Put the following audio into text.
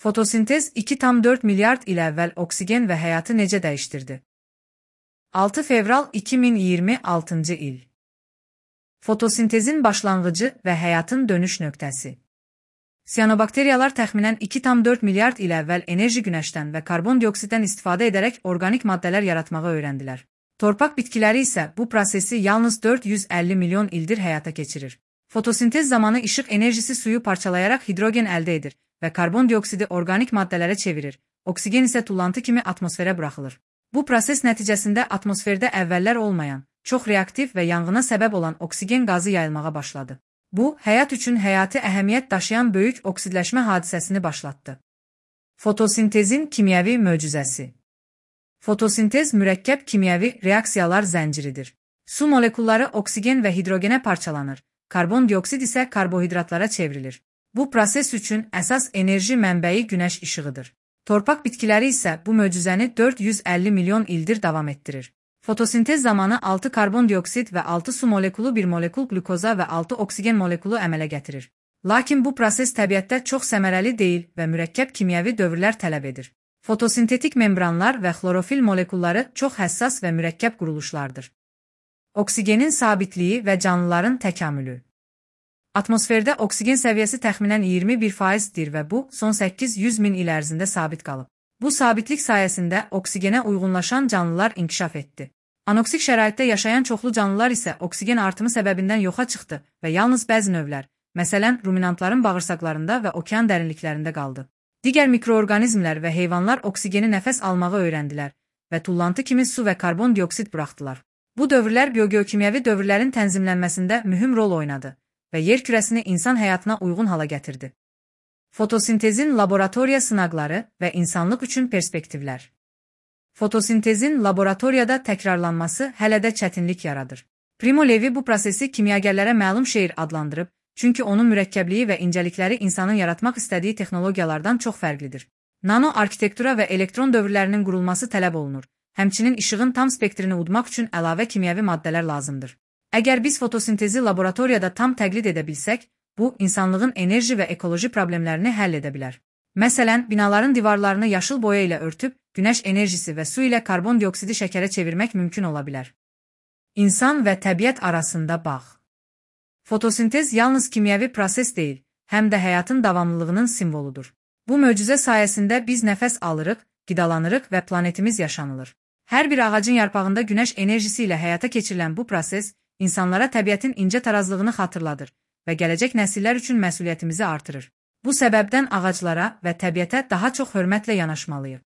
Fotosintez 2,4 milyard il əvvəl oksigen və həyatı necə dəyişdirdi? 6 fevral 2026 il. Fotosintezin başlanğıcı və həyatın dönüş nöqtəsi. Siyanobakteriyalar təxminən 2,4 milyard il əvvəl enerji günəşdən və karbon dioksiddən istifadə edərək organik maddələr yaratmağı öyrəndilər. Torpaq bitkiləri isə bu prosesi yalnız 450 milyon ildir həyata keçirir. Fotosintez zamanı işıq enerjisi suyu parçalayaraq hidrogen əldə edir və karbon dioksidi organik maddələrə çevirir, oksigen isə tullantı kimi atmosferə buraxılır. Bu proses nəticəsində atmosferdə əvvəllər olmayan, çox reaktiv və yanğına səbəb olan oksigen qazı yayılmağa başladı. Bu, həyat üçün həyati əhəmiyyət daşıyan böyük oksidləşmə hadisəsini başlatdı. Fotosintezin kimyəvi möcüzəsi. Fotosintez mürəkkəb kimyəvi reaksiyalar zənciridir. Su molekulları oksigen və hidrogenə parçalanır, karbon dioksid isə karbohidratlara çevrilir. Bu proses üçün əsas enerji mənbəyi günəş işığıdır. Torpaq bitkiləri isə bu möcüzəni 450 milyon ildir davam etdirir. Fotosintez zamanı 6 karbon dioksid və 6 su molekulu, 1 molekul qlükoza və 6 oksigen molekulu əmələ gətirir. Lakin bu proses təbiətdə çox səmərəli deyil və mürəkkəb kimyəvi dövrlər tələb edir. Fotosintetik membranlar və xlorofil molekulları çox həssas və mürəkkəb quruluşlardır. Oksigenin sabitliyi və canlıların təkamülü. Atmosferdə oksigen səviyyəsi təxminən 21%dir və bu, son 800 min il ərzində sabit qalıb. Bu sabitlik sayəsində oksigenə uyğunlaşan canlılar inkişaf etdi. Anoksik şəraitdə yaşayan çoxlu canlılar isə oksigen artımı səbəbindən yoxa çıxdı və yalnız bəzi növlər, məsələn, ruminantların bağırsaqlarında və okean dərinliklərində qaldı. Digər mikroorqanizmlər və heyvanlar oksigeni nəfəs almağı öyrəndilər və tullantı kimi su və karbon dioksid buraxdılar. Bu dövrlər biogeokimyəvi dövrlərin tənzimlənməsində mühüm rol oynadı və yer kürəsini insan həyatına uyğun hala gətirdi. Fotosintezin laboratoriya sınaqları və insanlıq üçün perspektivlər. Fotosintezin laboratoriyada təkrarlanması hələ də çətinlik yaradır. Primo Levi bu prosesi kimyagərlərə məlum şeir adlandırıb, çünki onun mürəkkəbliyi və incəlikləri insanın yaratmaq istədiyi texnologiyalardan çox fərqlidir. Nano arxitektura və elektron dövrlərinin qurulması tələb olunur. Həmçinin işığın tam spektrini udmaq üçün əlavə kimyəvi maddələr lazımdır. Əgər biz fotosintezi laboratoriyada tam təqlid edə bilsək, bu, insanlığın enerji və ekoloji problemlərini həll edə bilər. Məsələn, binaların divarlarını yaşıl boya ilə örtüb, günəş enerjisi və su ilə karbon dioksidi şəkərə çevirmək mümkün ola bilər. İnsan və təbiət arasında bağ. Fotosintez yalnız kimyəvi proses deyil, həm də həyatın davamlılığının simvoludur. Bu möcüzə sayəsində biz nəfəs alırıq, qidalanırıq və planetimiz yaşanılır. Hər bir ağacın yarpağında günəş enerjisi ilə həyata keçirilən bu proses, insanlara təbiətin incə tarazlığını xatırladır və gələcək nəsillər üçün məsuliyyətimizi artırır. Bu səbəbdən ağaclara və təbiətə daha çox hörmətlə yanaşmalıyıq.